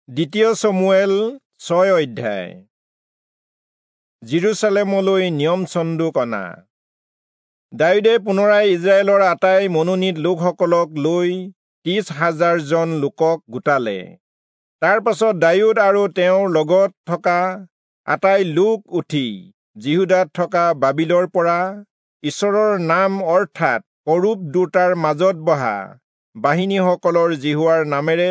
দ্বিতীয় চমূৱেল 6 অধ্যায়। যিৰূচালেমলৈ নিয়ম চন্দুক অনা। দায়ূদে পুনৰাই ইজৰাইলৰ আটাই মনোনীত লোকসকলক লৈ 30,000 জন লোকক গোটালে। তাৰ পাছত দায়ূদ আৰু তেওঁৰ লগত থকা আটাই লোক উঠি যিহূদাত থকা বাবিলৰ পৰা ঈশ্বৰৰ নাম অৰ্থাৎ কৰূব দুটাৰ মাজত বহা বাহিনীসকলৰ যিহোৱাৰ নামেৰে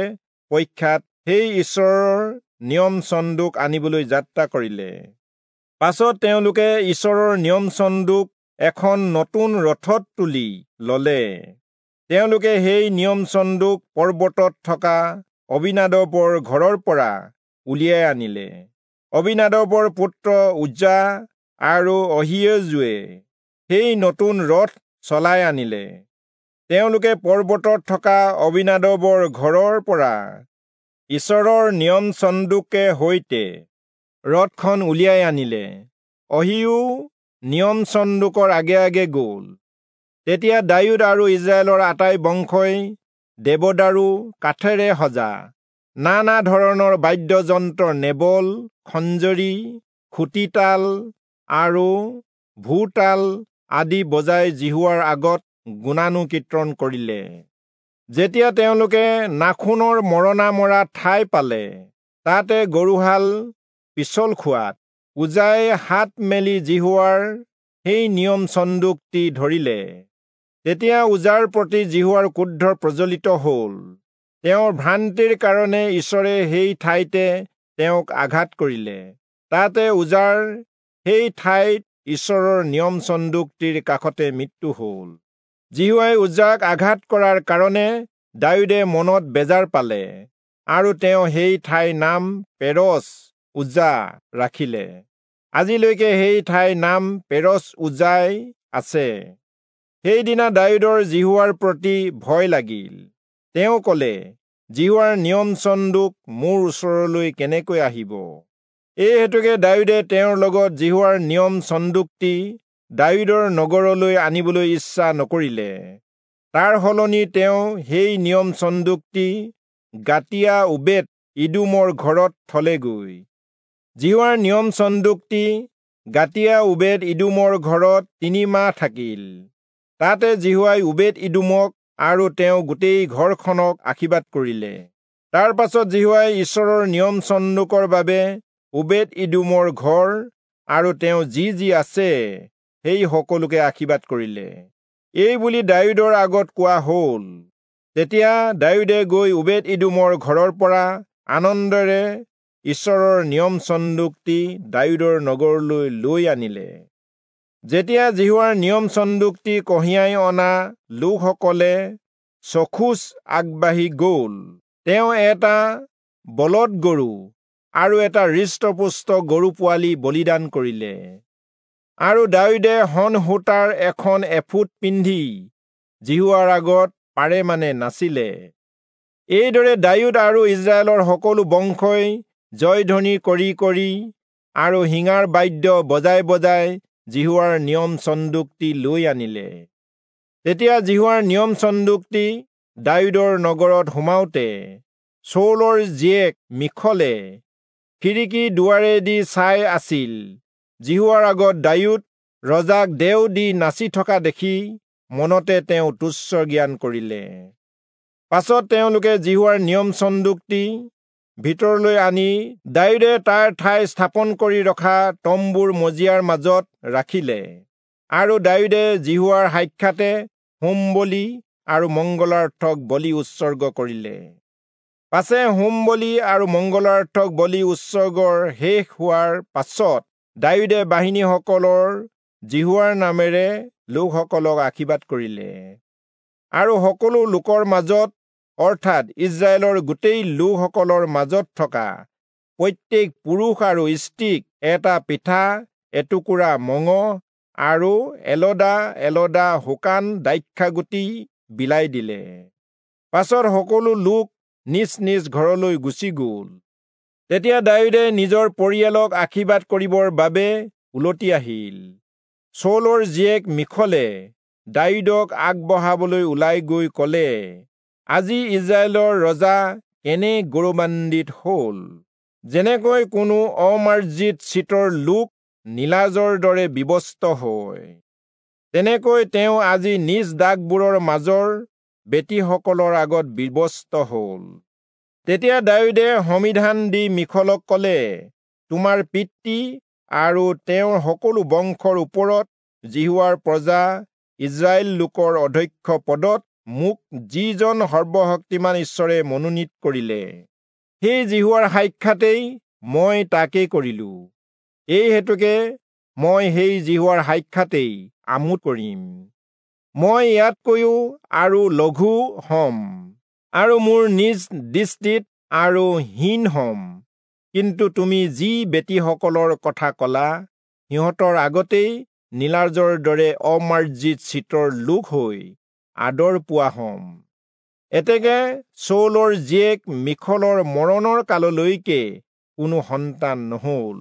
প্ৰখ্যাত সেই ঈশ্বৰৰ নিয়ম চন্দুক আনিবলৈ যাত্ৰা কৰিলে। পাছত তেওঁলোকে ঈশ্বৰৰ নিয়ম চন্দুক এখন নতুন ৰথত তুলি ললে। তেওঁলোকে সেই নিয়ম চন্দুক পৰ্বতত থকা অবিনাদবৰ ঘৰৰ পৰা উলিয়াই আনিলে। অবিনাদবৰ পুত্ৰ উজ্জা আৰু অহিয়োজুৱে সেই নতুন ৰথ চলাই আনিলে। তেওঁলোকে পৰ্বতত থকা অবিনাদবৰ ঘৰৰ পৰা ঈশ্বৰৰ নিয়ম চন্দুকে সৈতে ৰথখন উলিয়াই আনিলে। অহিও নিয়ম চন্দুকৰ আগে আগে গ'ল। তেতিয়া দায়ূদ আৰু ইজৰাইলৰ আটাই বংশই দেৱদাৰু কাঠেৰে সজা নানা ধৰণৰ বাদ্যযন্ত্ৰ নেবল, খঞ্জৰী, খুটিতাল আৰু ভোৰতাল আদি বজাই যিহোৱাৰ আগত গুণানুকীৰ্তন কৰিলে। যেতিয়া তেওঁলোকে নাখোনৰ মৰণা মৰা ঠাই পালে, তাতে গৰুহাল পিছল খোৱাত উজাই হাত মেলি যিহোৱাৰ সেই নিয়ম চন্দুকটি ধৰিলে। তেতিয়া উজাৰ প্ৰতি যিহোৱাৰ ক্ৰোধ প্ৰজ্বলিত হ'ল। তেওঁৰ ভ্ৰান্তিৰ কাৰণে ঈশ্বৰে সেই ঠাইতে তেওঁক আঘাত কৰিলে। তাতে উজাৰ সেই ঠাইত ঈশ্বৰৰ নিয়ম চন্দুকটিৰ কাষতে মৃত্যু হ'ল। যিহোৱাই উজাক আঘাত কৰাৰ কাৰণে দায়ূদে মনত বেজাৰ পালে আৰু তেওঁ সেই ঠাইৰ নাম পেৰচ উজা ৰাখিলে। আজিলৈকে সেই ঠাইৰ নাম পেৰচ উজাই আছে। সেইদিনা দায়ূদৰ যিহোৱাৰ প্ৰতি ভয় লাগিল। তেওঁ ক'লে, যিহোৱাৰ নিয়ম চন্দুক মোৰ ওচৰলৈ কেনেকৈ আহিব? এই হেতুকে দায়ূদে তেওঁৰ লগত যিহোৱাৰ নিয়ম চন্দুকটি দায়ূদৰ নগৰলৈ আনিবলৈ ইচ্ছা নকৰিলে। তাৰ সলনি তেওঁ সেই নিয়ম চন্দুকটি গাতিয়া ওবেদ ইদোমৰ ঘৰত থলেগৈ। যিহোৱাৰ নিয়ম চন্দুকটি গাতিয়া ওবেদ ইদোমৰ ঘৰত 3 মাহ থাকিল। তাতে যিহোৱাই ওবেদ ইদোমক আৰু তেওঁ গোটেই ঘৰখনক আশীৰ্বাদ কৰিলে। তাৰ পাছত যিহোৱাই ঈশ্বৰৰ নিয়ম চন্দুকৰ বাবে ওবেদ ইদোমৰ ঘৰ আৰু তেওঁ যি যি আছে সেই সকলোকে আশীৰ্বাদ কৰিলে। এই বুলি দায়ূদৰ আগত কোৱা হ'ল। তেতিয়া দায়ূদে গৈ ওবেদ ইদোমৰ ঘৰৰ পৰা আনন্দেৰে ঈশ্বৰৰ নিয়ম চন্দুকটি দায়ূদৰ নগৰলৈ লৈ আনিলে। যেতিয়া যিহোৱাৰ নিয়ম চন্দুকটি কঢ়িয়াই অনা লোকসকলে ছখোজ আগবাঢ়ি গ'ল, তেওঁ এটা বলদ গৰু আৰু এটা হৃষ্টপুষ্ট গৰু পোৱালি বলিদান কৰিলে। আৰু দায়ূদে শণ সূতাৰ এখন এফুট পিন্ধি যিহোৱাৰ আগত পাৰে মানে নাছিলে। এইদৰে দায়ূদ আৰু ইজৰাইলৰ সকলো বংশই জয়ধ্বনি কৰি কৰি আৰু শিঙাৰ বাদ্য বজাই বজাই যিহোৱাৰ নিয়ম চন্দুকটি লৈ আনিলে। তেতিয়া যিহোৱাৰ নিয়ম চন্দুকটি দায়ূদৰ নগৰত সোমাওঁতে চৌলৰ জীয়েক মিখলে খিৰিকী দুৱাৰেদি চাই আছিল। যিহোৱাৰ আগত দায়ূদ ৰজাক দেও দি নাচি থকা দেখি মনতে তেওঁ তুচ্ছ জ্ঞান কৰিলে। পাছত তেওঁলোকে যিহোৱাৰ নিয়ম চন্দুকটি ভিতৰলৈ আনি দায়ূদে তাৰ ঠাই স্থাপন কৰি ৰখা তম্বুৰ মজিয়াৰ মাজত ৰাখিলে। আৰু দায়ূদে যিহোৱাৰ সাক্ষাতে হোম বলি আৰু মংগলাৰ্থক বলি উৎসৰ্গ কৰিলে। পাছে হোম বলি আৰু মংগলাৰ্থক বলি উৎসৰ্গৰ শেষ হোৱাৰ পাছত দায়ূদে বাহিনীসকলৰ যিহোৱাৰ নামেৰে লোকসকলক আশীৰ্বাদ কৰিলে। আৰু সকলো লোকৰ মাজত অৰ্থাৎ ইজৰাইলৰ গোটেই লোকসকলৰ মাজত থকা প্ৰত্যেক পুৰুষ আৰু স্ত্ৰীক এটা পিঠা, এটুকুৰা মঙহ আৰু এলদা এলদা শুকান দ্ৰাক্ষাগুটি বিলাই দিলে। পাছত সকলো লোক নিজ নিজ ঘৰলৈ গুচি গ'ল। তেতিয়া দায়ূদে নিজৰ পৰিয়ালক আশীৰ্বাদ কৰিবৰ বাবে উলটি আহিল। চৌলৰ জীয়েক মিখলে দায়ূদক আগবঢ়াবলৈ ওলাই গৈ ক'লে, আজি ইজৰাইলৰ ৰজা কেনে গৌৰৱান্বিত হ'ল, যেনেকৈ কোনো অমাৰ্জিত চিতৰ লোক নীলাজৰ দৰে বিৱস্ত্ৰ হয়, তেনেকৈ তেওঁ আজি নিজ দাসবোৰৰ মাজৰ বেটীসকলৰ আগত বিৱস্ত্ৰ হ'ল। তেতিয়া দায়ূদে সমিধান দি মীখলক ক'লে, তোমাৰ পিতৃ আৰু তেওঁৰ সকলো বংশৰ ওপৰত যিহোৱাৰ প্ৰজা ইস্ৰায়েল লোকৰ অধ্যক্ষ পদত মোক যিজন সৰ্বশক্তিমান ঈশ্বৰে মনোনীত কৰিলে, সেই যিহোৱাৰ সাক্ষাতেই মই তাকে কৰিলো। এই হেতুকে মই সেই যিহোৱাৰ সাক্ষাতেই আমোদ কৰিম। মই ইয়াতকৈও আৰু লঘু হম আৰু মোৰ নিজ দৃষ্টিত আৰু হীন হম। কিন্তু তুমি যি বেটীসকলৰ কথা কলা, সিহঁতৰ আগতেই নীলাজৰ দৰে অমাৰ্জিত চিতৰ লোক হৈ আদৰ পোৱা হম। এতেকে চৌলৰ জীয়েক মীখলৰ মৰণৰ কাললৈকে কোনো সন্তান নহল।